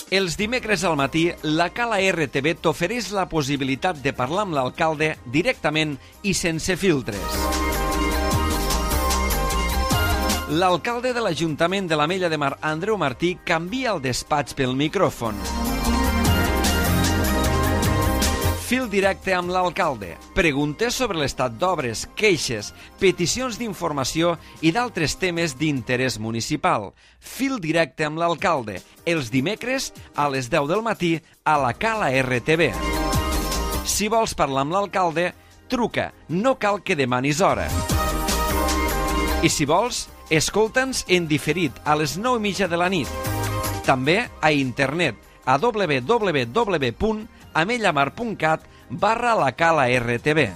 Els dimecres al matí, la Cala RTV t'ofereix la possibilitat de parlar amb l'alcalde directament i sense filtres. L'alcalde de l'Ajuntament de l'Ametlla de Mar, Andreu Martí, canvia el despatx pel micròfon. Fil directe amb l'alcalde. Preguntes sobre l'estat d'obres, queixes, peticions d'informació i d'altres temes d'interès municipal. Fil directe amb l'alcalde. Els dimecres a les 10 del matí a la Cala RTV. Si vols parlar amb l'alcalde, truca. No cal que demanis hora. I si vols, escolta'ns en diferit a les 9:30 de la nit. També a internet a www.amellamar.cat/la Cala RTV.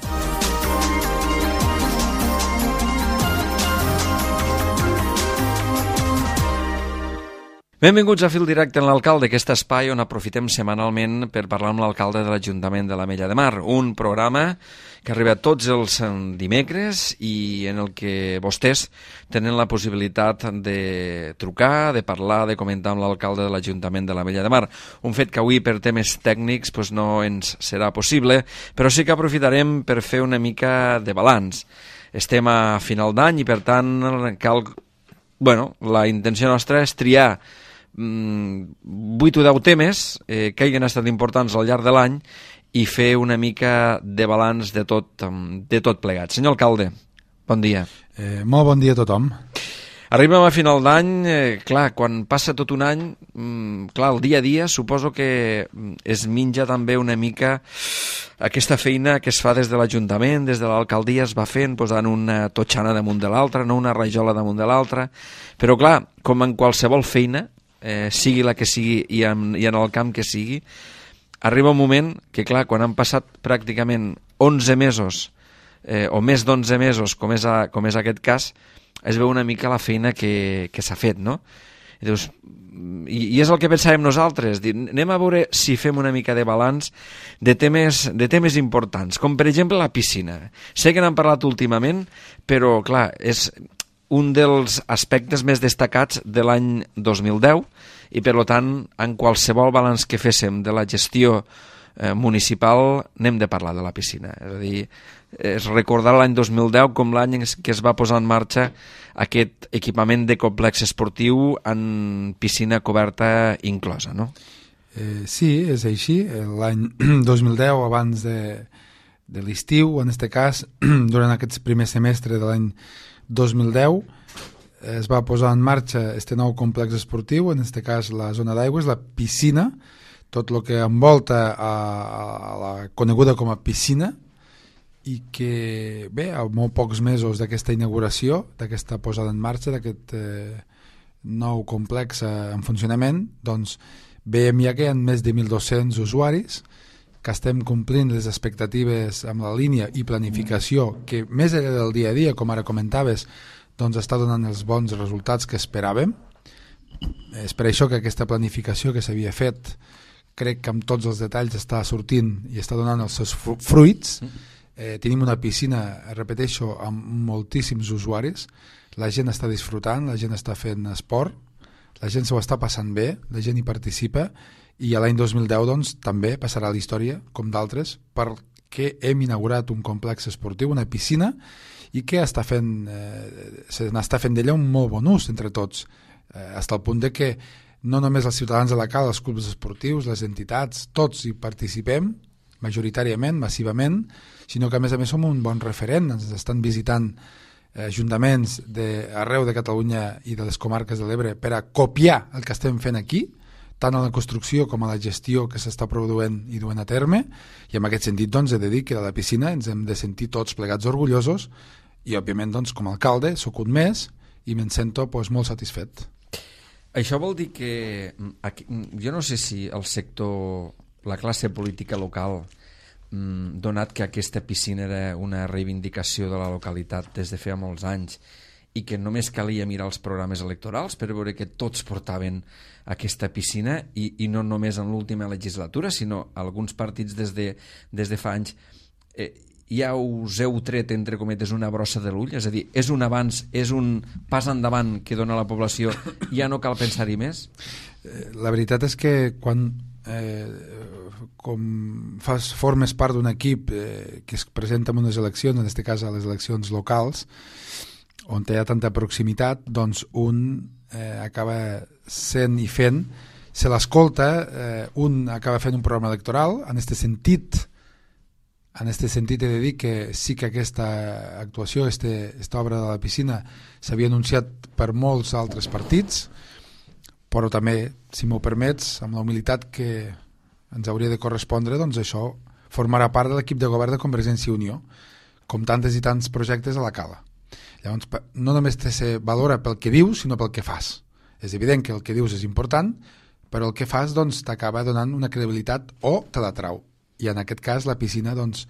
Benvinguts a Fil Directe en l'Alcalde, aquest espai on aprofitem setmanalment per parlar amb l'alcalde de l'Ajuntament de l'Ametlla de Mar. Un programa que arriba tots els dimecres i en el que vostès tenen la possibilitat de trucar, de parlar, de comentar amb l'alcalde de l'Ajuntament de l'Ametlla de Mar. Un fet que avui per temes tècnics no ens serà possible, però sí que aprofitarem per fer una mica de balanç. Estem a final d'any i per tant la intenció nostra és triar 8 o 10 temes que hagin estat importants al llarg de l'any i fer una mica de balanç de tot plegat. Senyor alcalde, bon dia. Molt bon dia a tothom. Arribem a final d'any, quan passa tot un any, el dia a dia suposo que es menja també una mica aquesta feina que es fa des de l'Ajuntament, des de l'alcaldia, es va fent, posant una totxana damunt de l'altra, no una rajola damunt de l'altra, però clar, com en qualsevol feina, sigui la que sigui i en el camp que sigui, arriba un moment que, quan han passat pràcticament 11 mesos, o més d'11 mesos, com és aquest cas, es veu una mica la feina que s'ha fet, no? I dius, i és el que pensàvem nosaltres, anem a veure si fem una mica de balanç de temes importants, com per exemple la piscina. Sé que n'han parlat últimament, però clar, és un dels aspectes més destacats de l'any 2010 i per tant, en qualsevol balanç que féssim de la gestió municipal n'hem de parlar de la piscina. És a dir, és recordar l'any 2010 com l'any en què es va posar en marxa aquest equipament de complex esportiu en piscina coberta inclosa, no? Sí, és així. L'any 2010, abans de l'estiu, en aquest cas, durant aquest primer semestre de l'any 2010, es va posar en marxa este nou complex esportiu, en aquest cas la zona d'aigües, la piscina, tot el que envolta a la coneguda com a piscina, i que, a molt pocs mesos d'aquesta inauguració, d'aquesta posada en marxa, d'aquest nou complex en funcionament, doncs veiem ja que hi ha més de 1.200 usuaris, que estem complint les expectatives amb la línia i planificació que més enllà del dia a dia, com ara comentaves, doncs està donant els bons resultats que esperàvem. És per això que aquesta planificació que s'havia fet crec que amb tots els detalls està sortint i està donant els seus fruits. Tenim una piscina, repeteixo, amb moltíssims usuaris, la gent està disfrutant, la gent està fent esport, la gent s'ho està passant bé, la gent hi participa, i a l'any 2010 doncs, també passarà a la història, com d'altres, perquè hem inaugurat un complex esportiu, una piscina, i que se n'està fent d'ella un molt bon ús entre tots, fins al punt de que no només els ciutadans de la Cala, els clubs esportius, les entitats, tots hi participem, majoritàriament, massivament, sinó que a més som un bon referent, ens estan visitant ajuntaments d'arreu de Catalunya i de les comarques de l'Ebre per a copiar el que estem fent aquí, tant a la construcció com a la gestió que s'està produint i duent a terme, i en aquest sentit doncs, he de dir que a la piscina ens hem de sentir tots plegats orgullosos i òbviament doncs, com a alcalde soc un més i me'n sento molt satisfet. Això vol dir que jo no sé si el sector, la classe política local, donat que aquesta piscina era una reivindicació de la localitat des de feia molts anys i que només calia mirar els programes electorals per veure que tots portaven aquesta piscina i no només en l'última legislatura sinó alguns partits des de fa anys, ja us heu tret, entre cometes, una brossa de l'ull? És a dir, és un avanç, és un pas endavant que dona la població, ja no cal pensar-hi més? La veritat és que quan com formes part d'un equip que es presenta en unes eleccions, en aquest cas a les eleccions locals, on hi ha tanta proximitat, doncs un acaba sent i fent, se l'escolta, un acaba fent un programa electoral. En aquest sentit he de dir que sí que aquesta actuació, aquesta obra de la piscina, s'havia anunciat per molts altres partits, però també, si m'ho permets, amb la humilitat que ens hauria de correspondre, doncs això formarà part de l'equip de govern de Convergència i Unió, com tantes i tants projectes a la Cala. Llavors, no només se valora pel que dius, sinó pel que fas. És evident que el que dius és important, però el que fas doncs, t'acaba donant una credibilitat o te la trau. I en aquest cas la piscina doncs,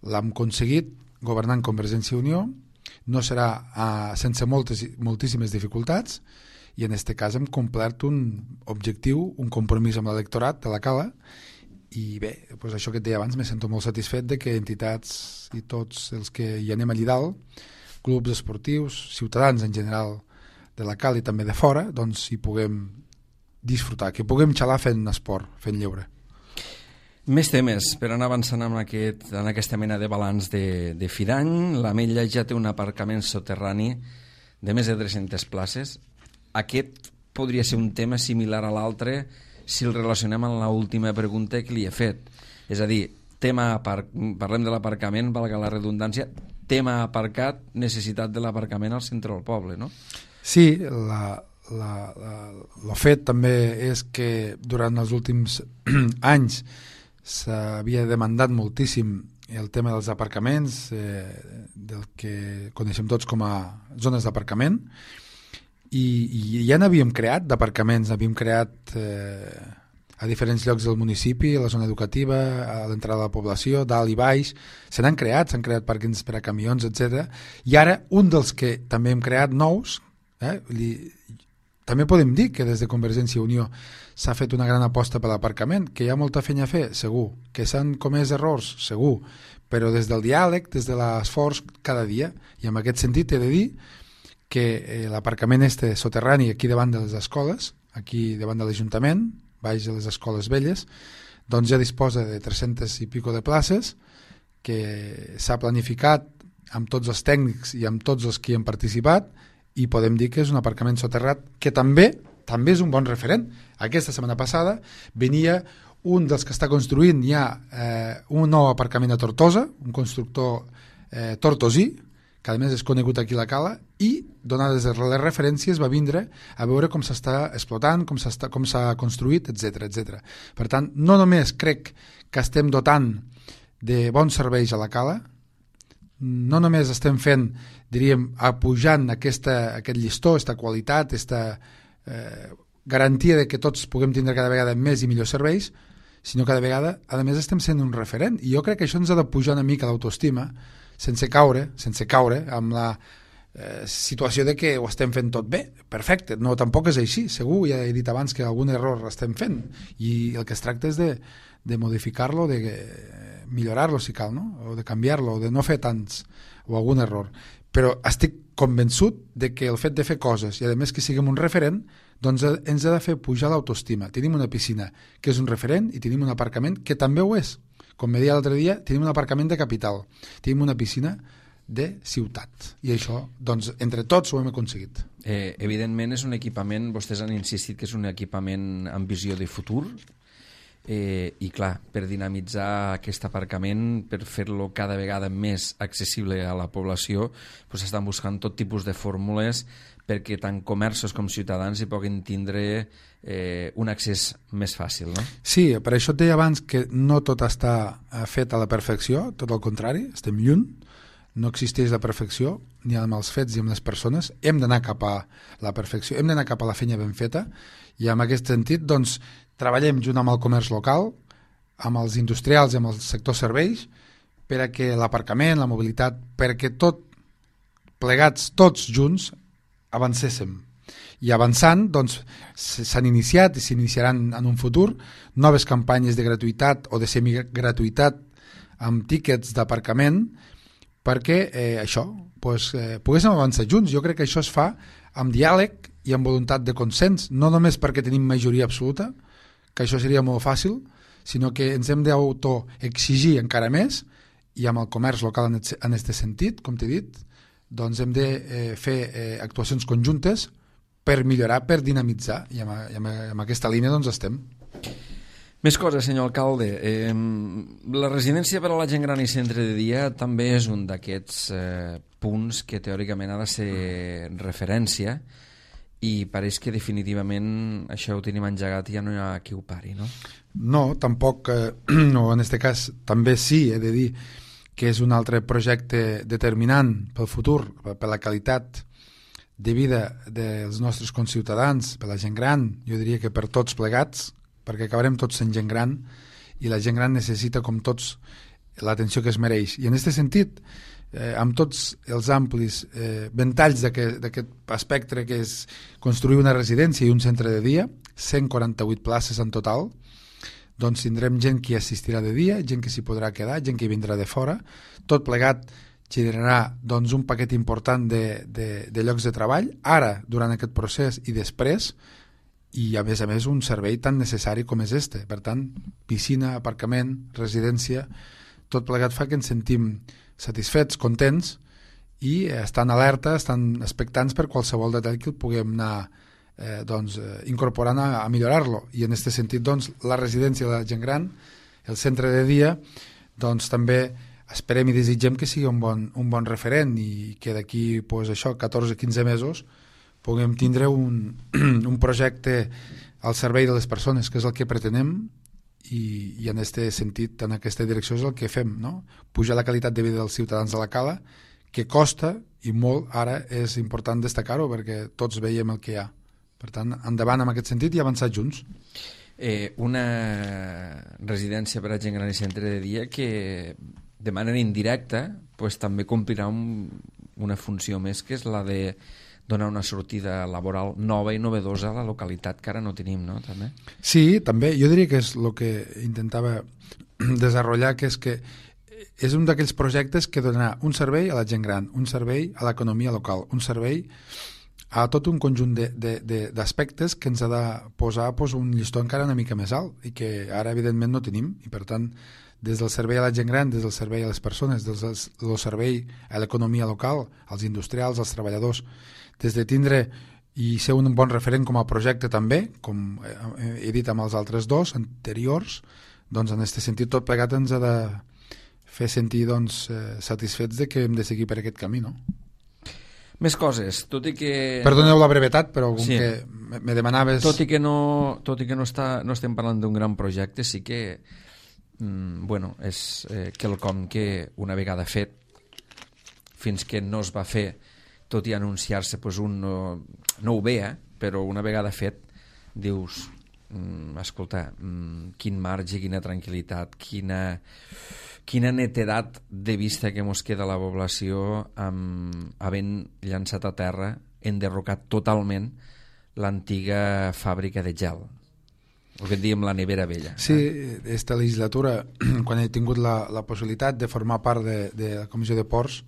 l'hem aconseguit governant Convergència i Unió, no serà sense moltíssimes dificultats, i en aquest cas hem complert un objectiu, un compromís amb l'electorat de la Cala, i bé, doncs això que et deia abans, me sento molt satisfet de que entitats i tots els que hi anem allà dalt, clubs esportius, ciutadans en general de la Cala i també de fora, doncs hi puguem disfrutar, que puguem xalar fent esport, fent lleure. Més temes per anar avançant en aquesta mena de balanç de fi d'any. L'Ametlla ja té un aparcament soterrani de més de 300 places. Aquest podria ser un tema similar a l'altre si el relacionem amb l'última pregunta que li he fet. És a dir, parlem de l'aparcament, valga la redundància, tema aparcat, necessitat de l'aparcament al centre del poble, no? Sí, el fet també és que durant els últims anys s'havia demandat moltíssim el tema dels aparcaments, del que coneixem tots com a zones d'aparcament, i ja n'havíem creat d'aparcaments, n'havíem creat a diferents llocs del municipi, a la zona educativa, a l'entrada de la població, dalt i baix, s'han creat pàrquings per a camions, etc. I ara un dels que també hem creat nous, també podem dir que des de Convergència i Unió s'ha fet una gran aposta per l'aparcament, que hi ha molta feina a fer, segur, que s'han comès errors, segur, però des del diàleg, des de l'esforç cada dia, i en aquest sentit he de dir que l'aparcament soterrani aquí davant de les escoles, aquí davant de l'Ajuntament, baix de les escoles velles, doncs ja disposa de 300 i pico de places, que s'ha planificat amb tots els tècnics i amb tots els que hi han participat, i podem dir que és un aparcament soterrat que també és un bon referent. Aquesta setmana passada venia un dels que està construint ja un nou aparcament a Tortosa, un constructor tortosí, que a més és conegut aquí a la Cala, i donades les referències va vindre a veure com s'està explotant, com s'ha construït, etc. Per tant, no només crec que estem dotant de bons serveis a la Cala, no només estem fent, diríem, apujant aquest llistó, aquesta qualitat, aquesta garantia de que tots puguem tindre cada vegada més i millors serveis, sinó cada vegada, a més, estem sent un referent. I jo crec que això ens ha de pujar una mica l'autoestima, sense caure amb la situació de que ho estem fent tot bé, perfecte. No, tampoc és així, segur, ja he dit abans que algun error estem fent, i el que es tracta és de modificar-lo, de millorar-lo si cal, no? O de canviar-lo, o de no fer tants, o algun error. Però estic convençut de que el fet de fer coses, i a més que siguem un referent, doncs ens ha de fer pujar l'autoestima. Tenim una piscina que és un referent i tenim un aparcament que també ho és. Com me deia l'altre dia, tenim un aparcament de capital, tenim una piscina de ciutat, i això, doncs, entre tots ho hem aconseguit. Evidentment és un equipament, vostès han insistit que és un equipament amb visió de futur, i clar, per dinamitzar aquest aparcament, per fer-lo cada vegada més accessible a la població, doncs estan buscant tot tipus de fórmules perquè tant comerços com ciutadans hi puguin tindre un accés més fàcil, no? Sí, per això et deia abans que no tot està fet a la perfecció, tot el contrari, estem lluny, no existeix la perfecció, ni amb els fets ni amb les persones, hem d'anar cap a la perfecció, hem d'anar cap a la feina ben feta, i en aquest sentit, doncs, treballem junt amb el comerç local, amb els industrials i amb el sector serveis, per a que l'aparcament, la mobilitat, perquè tot plegats, tots junts, avancéssim. I avançant, doncs, s'han iniciat i s'iniciaran en un futur noves campanyes de gratuïtat o de semigratuïtat amb tíquets d'aparcament, perquè poguéssim avançar junts. Jo crec que això es fa amb diàleg i amb voluntat de consens, no només perquè tenim majoria absoluta, que això seria molt fàcil, sinó que ens hem d'autoexigir encara més, i amb el comerç local en aquest sentit, com t'he dit, doncs hem de fer actuacions conjuntes per millorar, per dinamitzar, i amb aquesta línia doncs estem. Més coses, senyor alcalde. La residència per a la gent gran i centre de dia també és un d'aquests punts que teòricament ha de ser referència, i pareix que definitivament això ho tenim engegat i ja no hi ha qui ho pari, no? No, tampoc, no, en aquest cas també sí, he de dir que és un altre projecte determinant pel futur, per la qualitat de vida dels nostres conciutadans, per la gent gran, jo diria que per tots plegats, perquè acabarem tots sent gent gran, i la gent gran necessita, com tots, l'atenció que es mereix. I en aquest sentit, amb tots els amplis ventalls d'aquest espectre que és construir una residència i un centre de dia, 148 places en total, doncs tindrem gent que assistirà de dia, gent que s'hi podrà quedar, gent que vindrà de fora, tot plegat generarà doncs, un paquet important de llocs de treball, ara, durant aquest procés i després, i a més un servei tan necessari com és este. Per tant, piscina, aparcament, residència, tot plegat fa que ens sentim satisfets, contents, i estan alerta, estan expectants per qualsevol detall que el puguem anar incorporant a millorar-lo. I en aquest sentit, doncs, la residència de la gent gran, el centre de dia, doncs també esperem i desitgem que sigui un bon referent, i que d'aquí, doncs, 14-15 mesos puguem tindre un projecte al servei de les persones, que és el que pretenem, i en aquest sentit, en aquesta direcció és el que fem, no? Pujar la qualitat de vida dels ciutadans de la Cala, que costa, i molt, ara és important destacar-ho, perquè tots veiem el que hi ha. Per tant, endavant en aquest sentit i avançar junts. Una residència per a gent gran i centre de dia que de manera indirecta pues, també complirà una funció més, que és la de donar una sortida laboral nova i novedosa a la localitat, que ara no tenim, no? També. Sí, també. Jo diria que és el que intentava desenvolupar, que és un d'aquells projectes que donarà un servei a la gent gran, un servei a l'economia local, un servei a tot un conjunt d'aspectes que ens ha de posar un llistó encara una mica més alt, i que ara evidentment no tenim, i per tant des del servei a la gent gran, des del servei a les persones, des del servei a l'economia local, als industrials, als treballadors, des de tindre i ser un bon referent com a projecte també, com he dit amb els altres dos anteriors, doncs en aquest sentit tot plegat ens ha de fer sentir satisfets de que hem de seguir per aquest camí, no? Més coses, tot i que... Perdoneu la brevetat, però com que me demanaves... Tot i que no estem parlant d'un gran projecte, sí que és quelcom que una vegada fet, fins que no es va fer, tot i anunciar-se, un no ho veia, però una vegada fet dius, escolta, quin marge, quina tranquil·litat, quina netedat de vista que mos queda la població havent llançat a terra, enderrocat totalment l'antiga fàbrica de gel, el que en diem la nevera vella. Sí, aquesta legislatura, quan he tingut la possibilitat de formar part de la Comissió de Ports,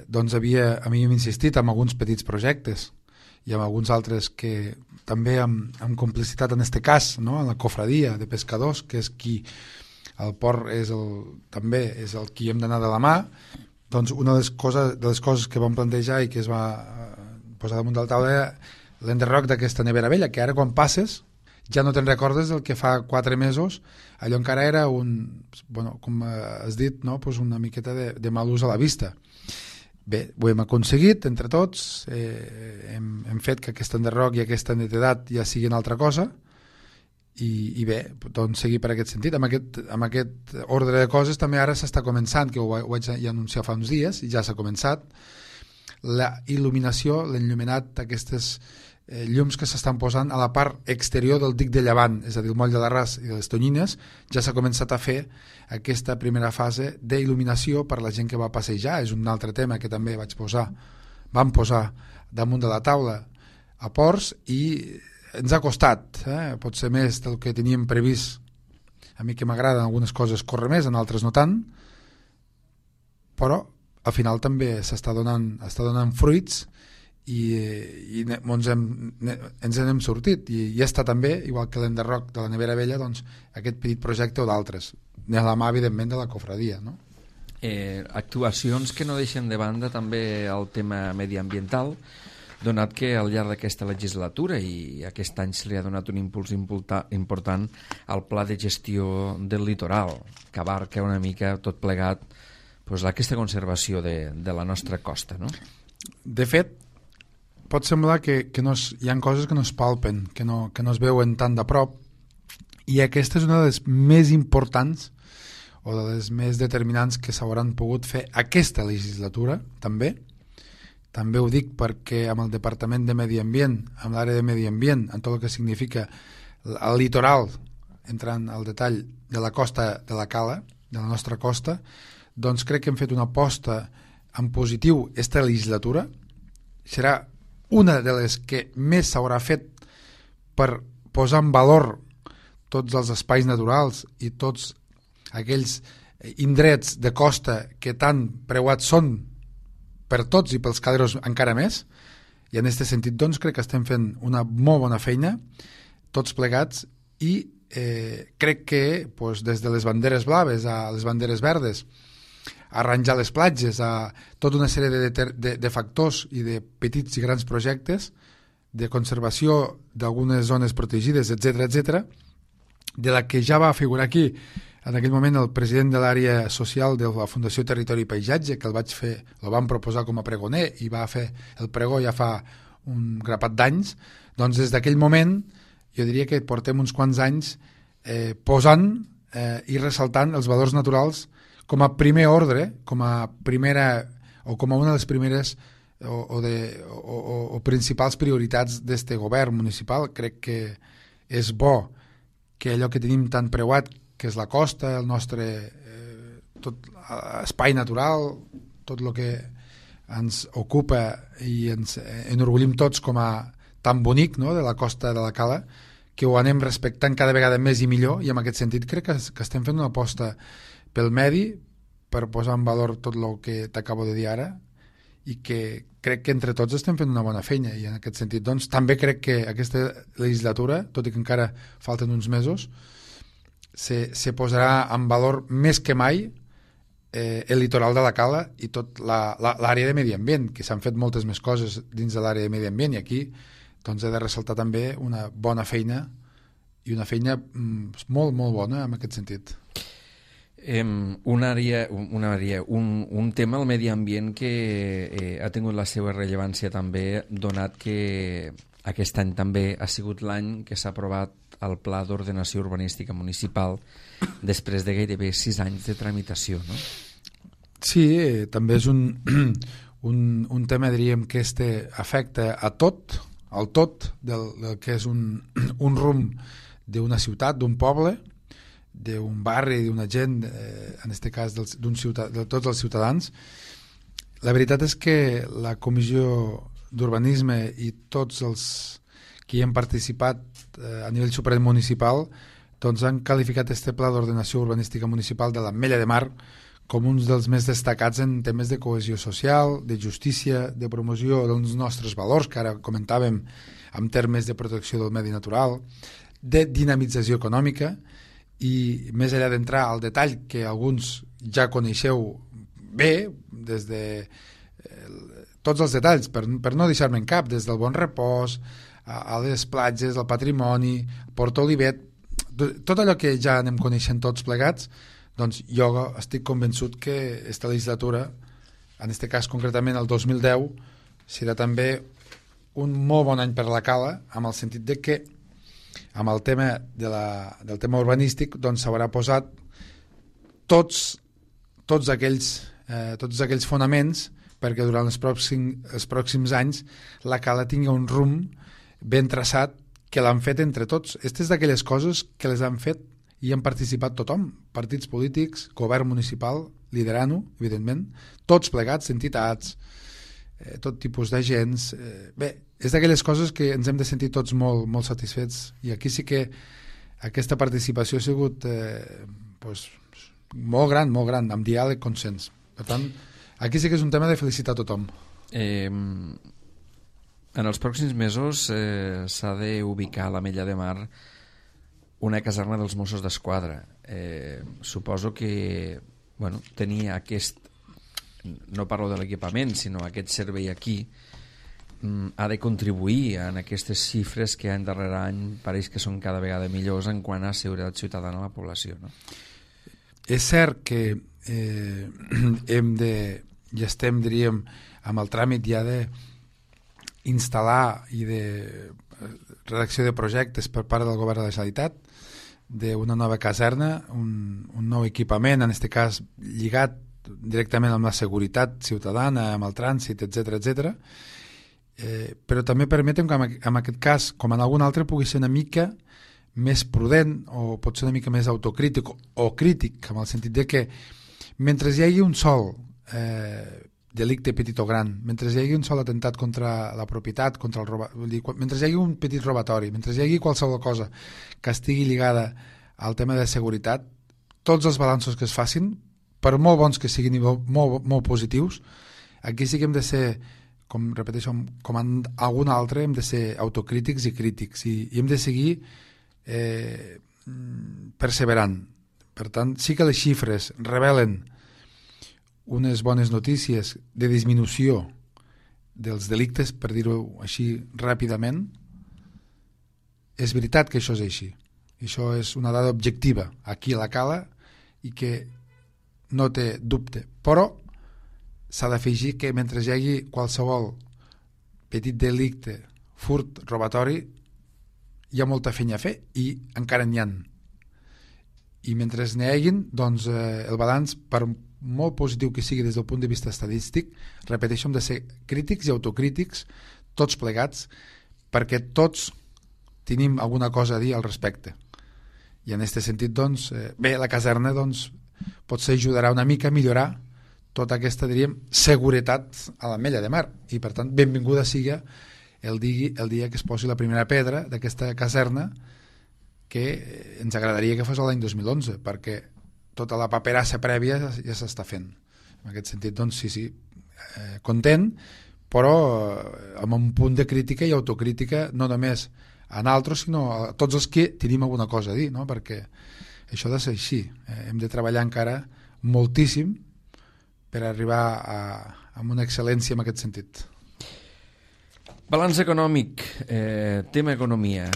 doncs havíem insistit en alguns petits projectes i amb alguns altres que també amb complicitat en aquest cas, no? En la cofradia de pescadors, que és qui el port també és el qui hem d'anar de la mà. Doncs una de les coses que vam plantejar i que es va posar damunt de la taula era l'enderroc d'aquesta nevera vella, que ara quan passes ja no te'n recordes del que fa 4 mesos, allò encara era com has dit, no? Una miqueta de mal ús a la vista. Bé, ho hem aconseguit entre tots, hem fet que aquest enderroc i aquesta netedat ja siguin altra cosa, i bé, doncs seguir per aquest sentit. Amb aquest ordre de coses també ara s'està començant, que ho vaig ja anunciar fa uns dies, i ja s'ha començat, la il·luminació, l'enllumenat d'aquestes llums que s'estan posant a la part exterior del dic de Llevant, és a dir, el moll de l'Arràs i les Tonyines. Ja s'ha començat a fer aquesta primera fase d'il·luminació per la gent que va passejar. És un altre tema que també vam posar damunt de la taula a Ports, i ens ha costat, potser més del que teníem previst a mi que m'agraden algunes coses córrer més, en altres no tant, però al final també està donant fruits i ens n'hem sortit i està també, igual que l'enderroc de la Nevera Vella, doncs, aquest petit projecte o d'altres, de la mà evidentment de la cofradia, no? Actuacions que no deixen de banda també el tema mediambiental, donat que al llarg d'aquesta legislatura i aquest any se li ha donat un impuls important al pla de gestió del litoral, que abarca una mica tot plegat aquesta conservació de la nostra costa, no? De fet, pot semblar que hi ha coses que no es palpen, que no es veuen tan de prop, i aquesta és una de les més importants o de les més determinants que s'hauran pogut fer aquesta legislatura, també ho dic perquè amb el Departament de Medi Ambient, amb l'àrea de Medi Ambient, en tot el que significa el litoral, entrant al detall de la costa de la Cala, de la nostra costa, doncs crec que hem fet una aposta en positiu aquesta legislatura. Serà una de les que més s'haurà fet per posar en valor tots els espais naturals i tots aquells indrets de costa que tan preuats són per tots i pels caderos encara més, i en aquest sentit doncs crec que estem fent una molt bona feina tots plegats i crec que des de les banderes blaves a les banderes verdes, a arranjar les platges, a tota una sèrie de factors i de petits i grans projectes de conservació d'algunes zones protegides, etc, de la que ja va figurar aquí en aquell moment el president de l'àrea social de la Fundació Territori i Paisatge, que el vam proposar com a pregoner i va fer el pregó ja fa un grapat d'anys. Doncs des d'aquell moment jo diria que portem uns quants anys posant i ressaltant els valors naturals com a primer ordre, com a primera o com a una de les primeres o principals prioritats d'este govern municipal. Crec que és bo que allò que tenim tan preuat, que és la costa, el nostre tot espai natural, tot el que ens ocupa i ens enorgullim tots com a tan bonic, no?, de la costa de la Cala, que ho anem respectant cada vegada més i millor, i en aquest sentit crec que estem fent una aposta pel medi, per posar en valor tot el que t'acabo de dir ara, i que crec que entre tots estem fent una bona feina, i en aquest sentit doncs també crec que aquesta legislatura, tot i que encara falten uns mesos, se posarà en valor més que mai el litoral de la Cala i tot l'àrea de medi ambient, que s'han fet moltes més coses dins de l'àrea de medi ambient, i aquí doncs he de ressaltar també una bona feina, i una feina molt, molt bona en aquest sentit. Un tema, el medi ambient, que ha tingut la seva rellevància també, donat que aquest any també ha sigut l'any que s'ha aprovat el Pla d'Ordenació Urbanística Municipal després de gairebé 6 anys de tramitació, no? Sí, també és un tema, diríem, que afecta a tot, al tot del que és un rumb d'una ciutat, d'un poble, d'un barri, d'una gent, en aquest cas de tots els ciutadans. La veritat és que la Comissió d'Urbanisme i tots els que hi han participat a nivell supramunicipal doncs han qualificat este Pla d'Ordenació Urbanística Municipal de l'Ametlla de Mar com un dels més destacats en temes de cohesió social, de justícia, de promoció dels nostres valors, que ara comentàvem en termes de protecció del medi natural, de dinamització econòmica, i més enllà d'entrar al detall que alguns ja coneixeu bé, des de tots els detalls, per no deixar-me en cap, des del bon repòs, a les platges, al patrimoni, Port Olivet, tot allò que ja anem coneixent tots plegats, doncs jo estic convençut que aquesta legislatura, en aquest cas concretament el 2010, serà també un molt bon any per la Cala, amb el sentit de que amb el tema del tema urbanístic doncs s'haurà posat tots aquells fonaments perquè durant els pròxims anys la Cala tingui un rumb ben traçat, que l'han fet entre tots. Aquestes d'aquelles coses que les han fet i han participat tothom, partits polítics, govern municipal, liderant-ho, evidentment, tots plegats, entitats, tot tipus d'agents. Bé, és d'aquelles coses que ens hem de sentir tots molt, molt satisfets, i aquí sí que aquesta participació ha sigut molt gran, amb diàleg, consens. Per tant, aquí sí que és un tema de felicitar a tothom. En els pròxims mesos s'ha d'ubicar a l'Ametlla de Mar una caserna dels Mossos d'Esquadra. Suposo que tenir aquest, no parlo de l'equipament, sinó aquest servei aquí, ha de contribuir en aquestes xifres que any darrere any pareix que són cada vegada millors en quant a seguretat ciutadana a la població, no? És cert que ja estem, diríem, amb el tràmit ja d'instal·lar i de redacció de projectes per part del govern de la Generalitat d'una nova caserna, un nou equipament, en aquest cas lligat directament amb la seguretat ciutadana, amb el trànsit, etc. Però també permetem que en aquest cas, com en algun altre, pugui ser una mica més prudent o pot ser una mica més autocrític o crític, en el sentit de que mentre hi hagi un sol delicte petit o gran, mentre hi hagi un sol atemptat contra la propietat, contra el mentre hi hagi un petit robatori, mentre hi hagi qualsevol cosa que estigui lligada al tema de seguretat, tots els balanços que es facin, per molt bons que siguin i molt positius, aquí sí que hem de ser, com repeteixo, com en algun altre, hem de ser autocrítics i crítics i hem de seguir perseverant. Per tant, sí que les xifres revelen unes bones notícies de disminució dels delictes, per dir-ho així ràpidament. És veritat que això és així. Això és una dada objectiva aquí a la Cala i que no té dubte. Però s'ha d'afegir que mentre hi hagi qualsevol petit delicte, furt, robatori, hi ha molta feina a fer i encara n'hi ha. I mentre n'hi haguin, doncs el balanç, per molt positiu que sigui des del punt de vista estadístic, repeteixo, hem de ser crítics i autocrítics tots plegats, perquè tots tenim alguna cosa a dir al respecte. I en aquest sentit, doncs, bé, la caserna doncs, potser ajudarà una mica a millorar tota aquesta, diríem, seguretat a l'Ametlla de Mar. I, per tant, benvinguda sigui el dia que es posi la primera pedra d'aquesta caserna, que ens agradaria que fos l'any 2011, perquè tota la paperassa prèvia ja s'està fent. En aquest sentit, doncs, sí, content, però amb un punt de crítica i autocrítica, no només a nosaltres, sinó a tots els que tenim alguna cosa a dir, no? Perquè això ha de ser així. Hem de treballar encara moltíssim per arribar a una excel·lència en aquest sentit. Balanç econòmic, tema economia,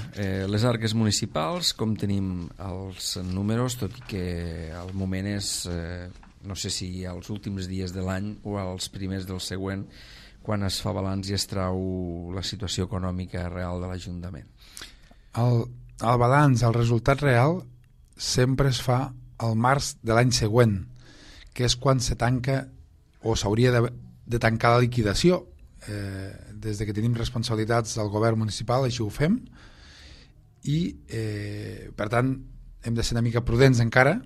les arques municipals, com tenim els números, tot i que al moment és, no sé si als últims dies de l'any o als primers del següent, quan es fa balanç i es trau la situació econòmica real de l'Ajuntament. El balanç, el resultat real, sempre es fa al març de l'any següent, que és quan se tanca o s'hauria de tancar la liquidació. Des de que tenim responsabilitats del govern municipal, així ho fem, i per tant hem de ser una mica prudents encara.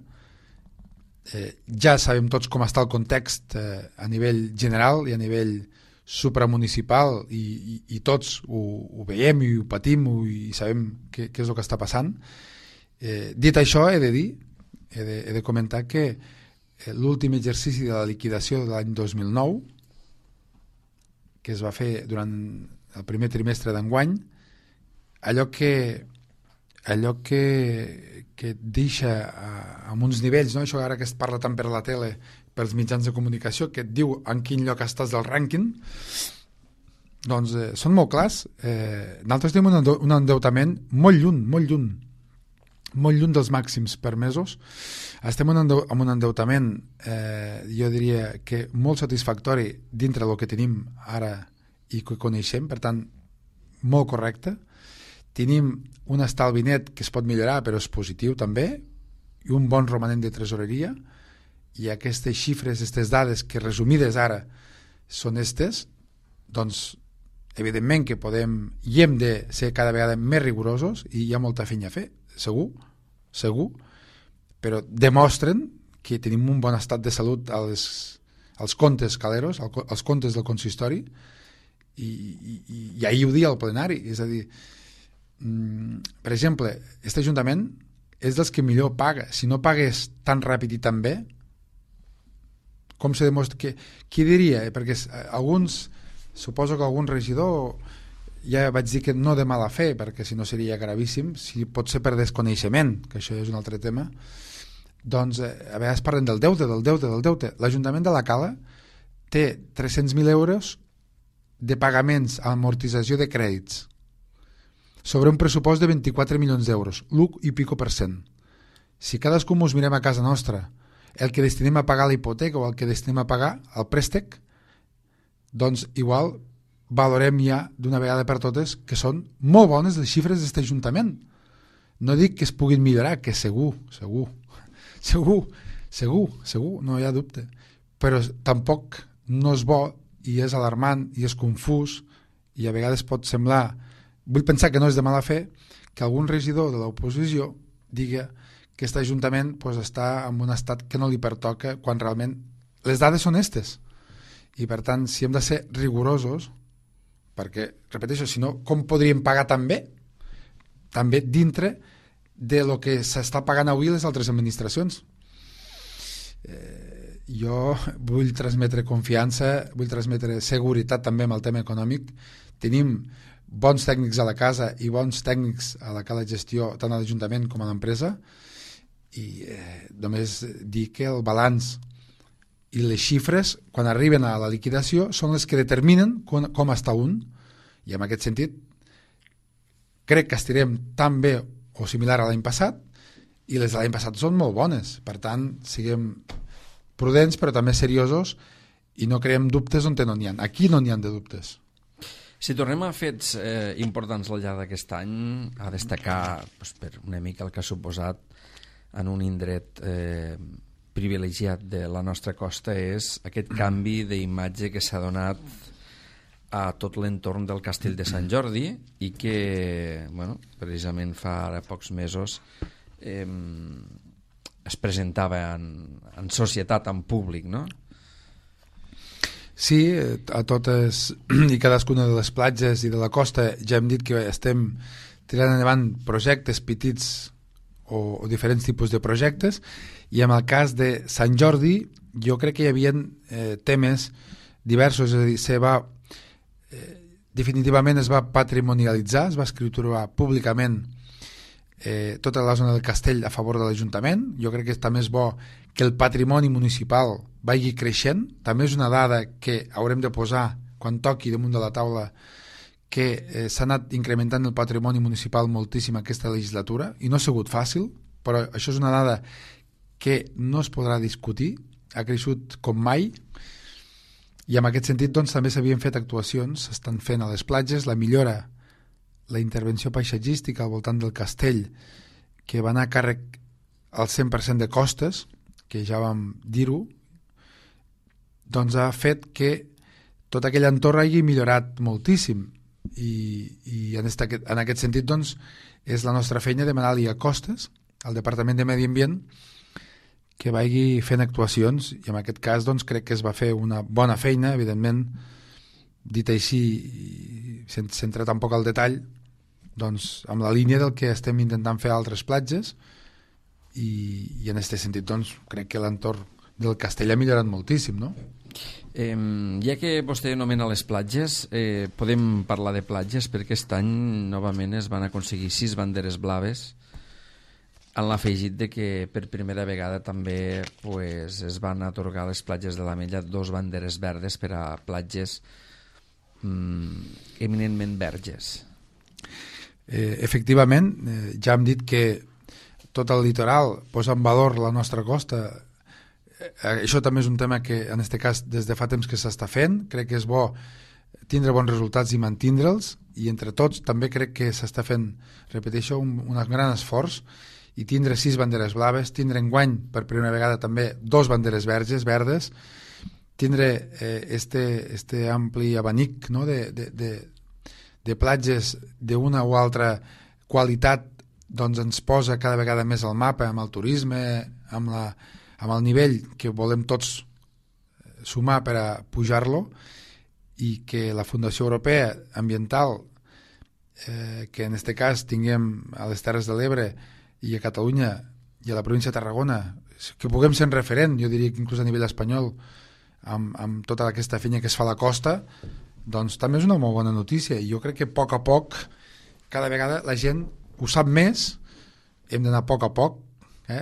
Ja sabem tots com està el context a nivell general i a nivell supramunicipal i tots ho veiem i ho patim i sabem què és el que està passant. Dit això, he de dir, he de comentar que l'últim exercici de la liquidació de l'any 2009, que es va fer durant el primer trimestre d'enguany, allò que deixa amb uns nivells, no? Això ara que es parla tant per la tele, pels mitjans de comunicació, que et diu en quin lloc estàs del rànquing, doncs són molt clars. Nosaltres tenim un endeutament molt lluny dels màxims permesos. Estem amb un endeutament, jo diria que molt satisfactori dintre del que tenim ara i que coneixem, per tant, molt correcte. Tenim un estalvi net que es pot millorar, però és positiu també, i un bon romanent de tresoreria, i aquestes xifres, aquestes dades que resumides ara són estes, doncs evidentment que podem i hem de ser cada vegada més rigorosos i hi ha molta feina a fer, segur, però demostren que tenim un bon estat de salut als comptes caleros, als comptes del consistori, i ahir ho dia al plenari, és a dir, per exemple, aquest Ajuntament és dels que millor paga. Si no pagués tan ràpid i tan bé, com se demostra? Qui diria? Perquè suposo que algun regidor, ja vaig dir que no de mala fe, perquè si no seria gravíssim, si pot ser per desconeixement, que això és un altre tema, doncs a vegades parlen del deute. L'Ajuntament de la Cala té 300.000 euros de pagaments a amortització de crèdits sobre un pressupost de 24 milions d'euros, l'1 i pico %. Si cadascú ens mirem a casa nostra el que destinem a pagar la hipoteca o el que destinem a pagar el préstec, doncs igual valorem ja d'una vegada per totes que són molt bones les xifres d'aquest Ajuntament. No dic que es puguin millorar, que segur, no hi ha dubte, però tampoc no és bo i és alarmant i és confús i a vegades pot semblar, vull pensar que no és de mala fe, que algun regidor de l'oposició diga que aquest Ajuntament està en un estat que no li pertoca quan realment les dades són estes. I per tant, si hem de ser rigorosos, perquè, repeteixo, si no, com podríem pagar tan bé? També dintre de lo que s'està pagant avui les altres administracions. Jo vull transmetre confiança, vull transmetre seguretat també amb el tema econòmic. Tenim bons tècnics a la casa i bons tècnics a la Cala Gestió, tant a l'Ajuntament com a l'empresa, i només dir que el balanç i les xifres, quan arriben a la liquidació, són les que determinen com està un, i en aquest sentit crec que estirem tan bé o similar a l'any passat, i les de l'any passat són molt bones. Per tant, siguem prudents però també seriosos i no creem dubtes on no n'hi ha. Aquí no n'hi ha de dubtes. Si tornem a fets importants al llarg d'aquest any, a destacar per una mica el que ha suposat en un indret privilegiat de la nostra costa és aquest canvi d'imatge que s'ha donat a tot l'entorn del Castell de Sant Jordi i que, precisament fa ara pocs mesos es presentava en societat, en públic, no? Sí, a totes i cadascuna de les platges i de la costa ja hem dit que estem tirant endavant projectes petits o diferents tipus de projectes, i en el cas de Sant Jordi jo crec que hi havia temes diversos, és a dir, definitivament es va patrimonialitzar, es va escriturar públicament tota la zona del castell a favor de l'Ajuntament. Jo crec que també és bo que el patrimoni municipal vagi creixent. També és una dada que haurem de posar quan toqui damunt de la taula, que s'ha anat incrementant el patrimoni municipal moltíssim aquesta legislatura i no ha sigut fàcil, però això és una dada que no es podrà discutir, ha creixut com mai, i en aquest sentit doncs, també s'havien fet actuacions, s'estan fent a les platges, la millora, la intervenció paisatgística al voltant del castell, que va anar a càrrec al 100% de costes, que ja vam dir-ho, doncs ha fet que tot aquell entorn hagi millorat moltíssim, i en aquest sentit doncs, és la nostra feina demanar-li a Costes, al Departament de Medi Ambient, que vagi fent actuacions, i en aquest cas doncs, crec que es va fer una bona feina, evidentment, dit així, sense entrar tampoc al detall, doncs, amb la línia del que estem intentant fer a altres platges, i en aquest sentit doncs, crec que l'entorn del castell ha millorat moltíssim, no? Ja que vostè anomena les platges, podem parlar de platges, perquè aquest any novament es van aconseguir 6 banderes blaves, en l'afegit de que per primera vegada també es van atorgar a les platges de l'Ametlla 2 banderes verdes per a platges eminentment verges. Efectivament, ja hem dit que tot el litoral posa en valor la nostra costa. Això també és un tema que en aquest cas des de fa temps que s'està fent. Crec que és bo tindre bons resultats i mantindre'ls, i entre tots també crec que s'està fent, repeteixo, un gran esforç, i tindre 6 banderes blaves, tindre enguany per primera vegada també 2 banderes verdes, tindre este ampli abanic, no, de platges d'una o altra qualitat, doncs ens posa cada vegada més al mapa amb el turisme, amb el nivell que volem tots sumar per a pujar-lo, i que la Fundació Europea Ambiental, que en aquest cas tinguem a les Terres de l'Ebre i a Catalunya i a la província de Tarragona, que puguem ser en referent, jo diria que inclús a nivell espanyol, amb tota aquesta feina que es fa a la costa, doncs també és una molt bona notícia, i jo crec que a poc, cada vegada la gent ho sap més, hem d'anar a poc,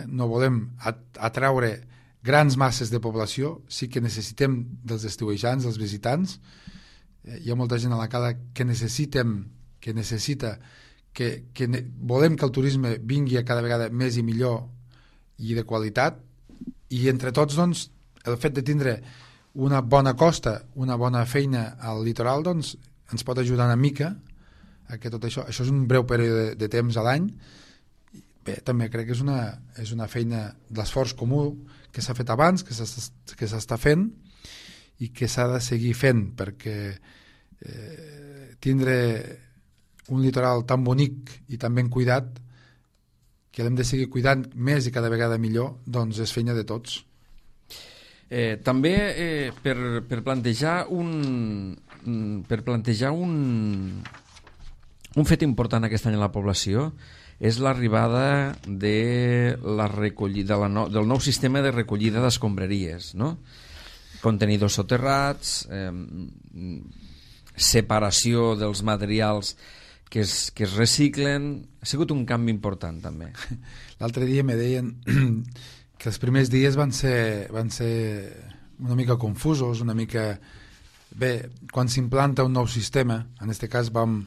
no volem atraure grans masses de població, sí que necessitem dels estiuejants, dels visitants, hi ha molta gent a la cala que necessita, volem que el turisme vingui a cada vegada més i millor i de qualitat, i entre tots, doncs, el fet de tindre una bona costa, una bona feina al litoral, doncs, ens pot ajudar una mica a que tot això és un breu període de temps a l'any. Bé, també crec que és una feina d'esforç comú que s'ha fet abans, que s'està fent i que s'ha de seguir fent, perquè tindre un litoral tan bonic i tan ben cuidat, que l'hem de seguir cuidant més i cada vegada millor, doncs és feina de tots. També per plantejar un fet important aquest any a la població és l'arribada de del nou sistema de recollida d'escombraries, no? Contenidors soterrats, separació dels materials que es reciclen. Ha sigut un canvi important també. L'altre dia me deien que els primers dies van ser una mica confusos, una mica... Bé, quan s'implanta un nou sistema, en aquest cas vam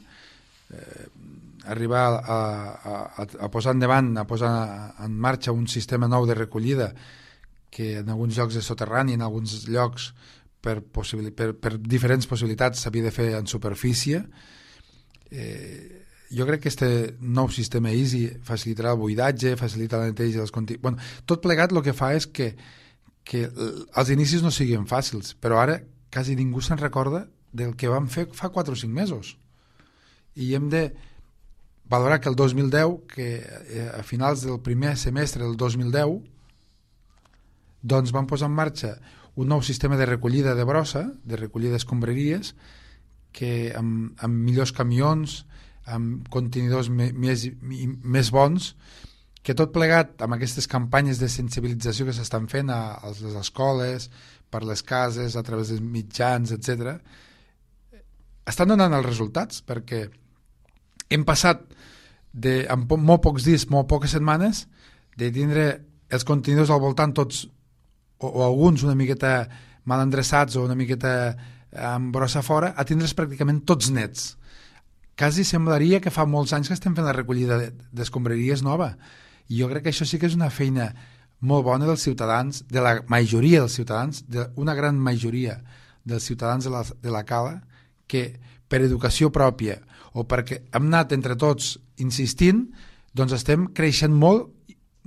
arribar a posar endavant, a posar en marxa un sistema nou de recollida que en alguns llocs és soterrani, en alguns llocs per diferents possibilitats s'havia de fer en superfície. Jo crec que aquest nou sistema EASY facilitarà el buidatge, facilitarà la neteja dels continguts. Bueno, tot plegat el que fa és que els inicis no siguin fàcils, però ara quasi ningú se'n recorda del que vam fer fa 4 o 5 mesos. I hem de valorar que el 2010, que a finals del primer semestre del 2010, doncs vam posar en marxa un nou sistema de recollida de brossa, de recollida d'escombraries, que amb millors camions, amb contenidors més bons, que tot plegat amb aquestes campanyes de sensibilització que s'estan fent a les escoles, per les cases, a través dels mitjans, etc., estan donant els resultats, perquè hem passat en molt pocs dies, molt poques setmanes, de tindre els contenidors al voltant tots, o alguns una miqueta mal endreçats o una miqueta amb brossa fora, a tindre's pràcticament tots nets. Quasi semblaria que fa molts anys que estem fent la recollida d'escombraries nova. I jo crec que això sí que és una feina molt bona dels ciutadans, de la majoria dels ciutadans, d'una gran majoria dels ciutadans de la cala, que per educació pròpia o perquè hem anat entre tots insistint, doncs estem creixent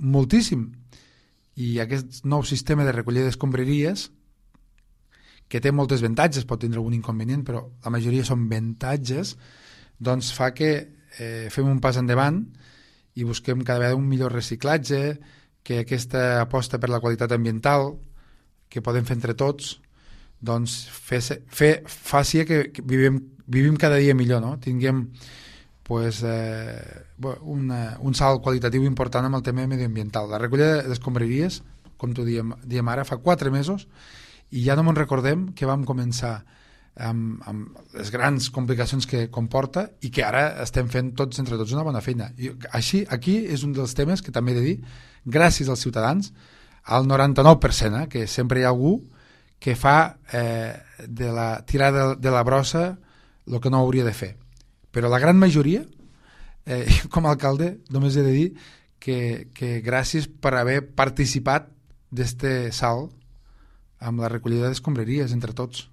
moltíssim. I aquest nou sistema de recollida d'escombraries, que té moltes avantatges, pot tindre algun inconvenient, però la majoria són avantatges, doncs fa que fem un pas endavant i busquem cada vegada un millor reciclatge, que aquesta aposta per la qualitat ambiental que podem fer entre tots, doncs faci que vivim cada dia millor, no? Tinguem pues, un salt qualitatiu important amb el tema medioambiental. La recollida d'escombraries, com t'ho diem ara, fa 4 mesos, i ja no me'n recordem que vam començar amb les grans complicacions que comporta i que ara estem fent tots entre tots una bona feina. I així, aquí és un dels temes que també he de dir, gràcies als ciutadans, al 99%, que sempre hi ha algú que fa de la tirada de la brossa el que no hauria de fer. Però la gran majoria, com a alcalde, només he de dir que gràcies per haver participat d'este salt amb la recollida d'escombraries entre tots.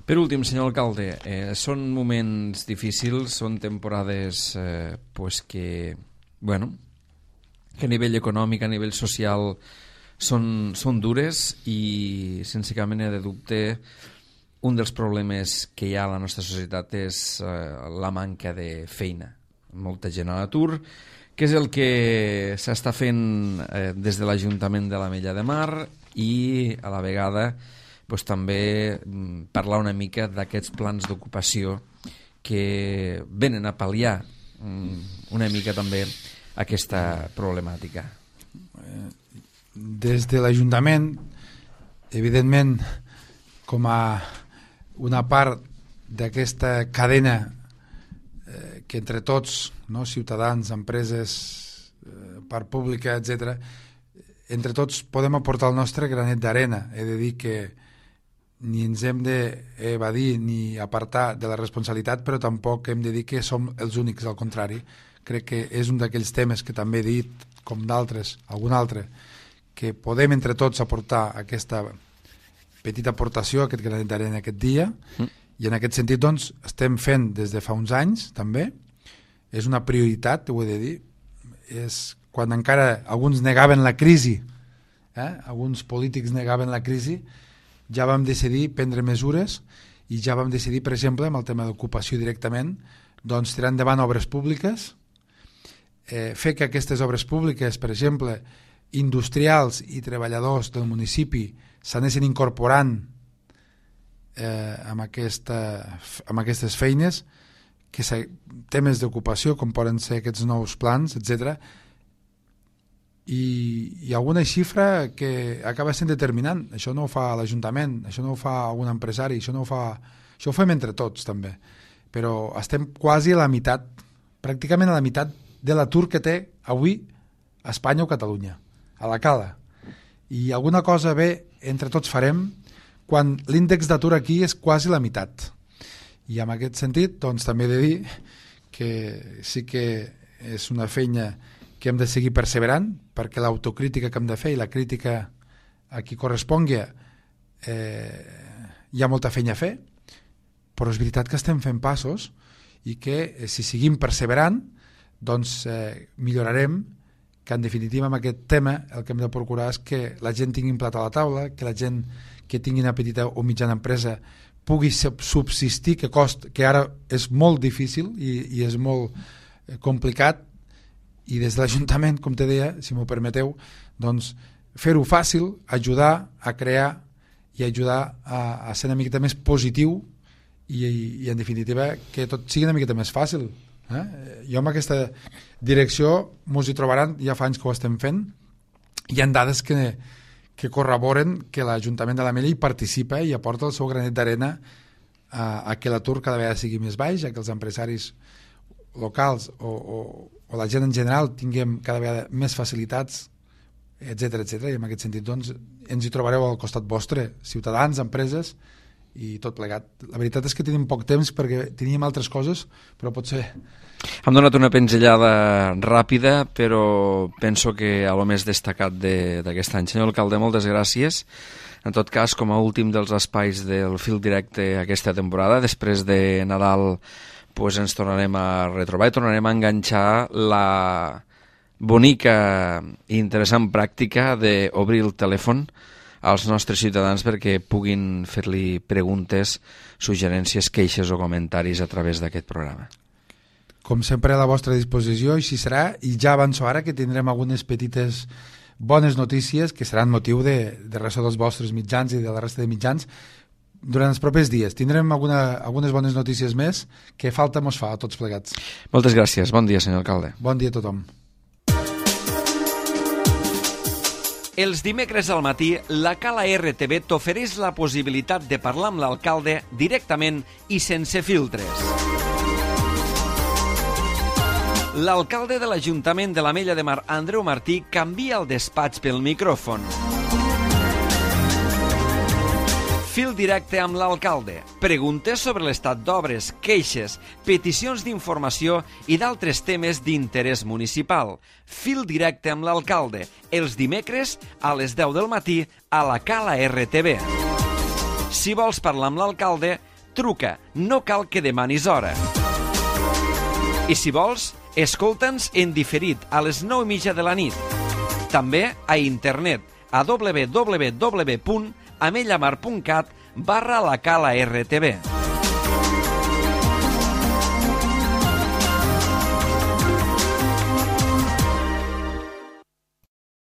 Per últim, senyor alcalde, són moments difícils, són temporades que a nivell econòmic, a nivell social, són dures i, sense cap mena de dubte, un dels problemes que hi ha a la nostra societat és la manca de feina. Molta gent a l'atur, que és el que s'està fent des de l'Ajuntament de l'Ametlla de Mar i, a la vegada, també parlar una mica d'aquests plans d'ocupació que venen a pal·liar una mica també aquesta problemàtica? Des de l'Ajuntament, evidentment, com a una part d'aquesta cadena que entre tots, no, ciutadans, empreses, part pública, etc., entre tots podem aportar el nostre granet d'arena. He de dir que ni ens hem d'evadir ni apartar de la responsabilitat, però tampoc hem de dir que som els únics, al contrari. Crec que és un d'aquells temes que també he dit, com d'altres, algun altre, que podem entre tots aportar aquesta petita aportació, aquest granet d'arena aquest dia, i en aquest sentit doncs, estem fent des de fa uns anys també. És una prioritat, ho he de dir, és quan encara alguns negaven la crisi, alguns polítics negaven la crisi, ja vam decidir prendre mesures i ja vam decidir, per exemple, amb el tema d'ocupació directament, doncs tirar endavant obres públiques, fer que aquestes obres públiques, per exemple, industrials i treballadors del municipi s'anessin incorporant amb aquestes feines, que temes d'ocupació, com poden ser aquests nous plans, etc. I alguna xifra que acaba sent determinant. Això no ho fa l'Ajuntament, això no ho fa algun empresari, això ho fem entre tots també, però estem quasi a la meitat, pràcticament a la meitat de l'atur que té avui Espanya o Catalunya, a la cala. I alguna cosa bé entre tots farem quan l'índex d'atur aquí és quasi la meitat. I en aquest sentit doncs, també he de dir que sí que és una feina que hem de seguir perseverant, perquè l'autocrítica que hem de fer i la crítica a qui correspongui hi ha molta feina a fer, però és veritat que estem fent passos i que si seguim perseverant doncs millorarem, que en definitiva amb aquest tema el que hem de procurar és que la gent tingui un plat a la taula, que la gent que tingui una petita o mitjana empresa pugui subsistir, que ara és molt difícil i és molt complicat, i des de l'Ajuntament, com te deia, si m'ho permeteu, doncs fer-ho fàcil, ajudar a crear i ajudar a ser una miqueta més positiu i en definitiva que tot sigui una miqueta més fàcil. Jo amb aquesta direcció mos hi trobaran, ja fa anys que ho estem fent, hi ha dades que corroboren que l'Ajuntament de l'Ametlla hi participa i aporta el seu granet d'arena a que l'atur cada vegada sigui més baix, a que els empresaris locals o la gent en general tinguem cada vegada més facilitats, etc etc. I en aquest sentit doncs, ens hi trobareu al costat vostre, ciutadans, empreses i tot plegat. La veritat és que tenim poc temps perquè teníem altres coses, però potser... Hem donat una pinzellada ràpida, però penso que a lo més destacat d'aquest any. Senyor alcalde, moltes gràcies. En tot cas, com a últim dels espais del fil directe aquesta temporada, després de Nadal pues ens tornarem a retrobar i tornarem a enganxar la bonica i interessant pràctica d'obrir el telèfon als nostres ciutadans perquè puguin fer-li preguntes, suggerències, queixes o comentaris a través d'aquest programa. Com sempre a la vostra disposició, així serà, i ja avanço ara que tindrem algunes petites bones notícies que seran motiu de ressò dels vostres mitjans i de la resta de mitjans durant els propers dies. Tindrem algunes bones notícies més que falta mos fa a tots plegats. Moltes gràcies. Bon dia, senyor alcalde. Bon dia a tothom. Els dimecres al matí, la Cala RTV t'ofereix la possibilitat de parlar amb l'alcalde directament i sense filtres. L'alcalde de l'Ajuntament de l'Ametlla de Mar, Andreu Martí, canvia el despatx pel micròfon. Fil directe amb l'alcalde. Preguntes sobre l'estat d'obres, queixes, peticions d'informació i d'altres temes d'interès municipal. Fil directe amb l'alcalde. Els dimecres a les 10 del matí a la Cala RTV. Si vols parlar amb l'alcalde, truca. No cal que demanis hora. I si vols, escolta'ns en diferit a les 9:30 de la nit. També a internet a www.amellamar.cat/la Cala RTV.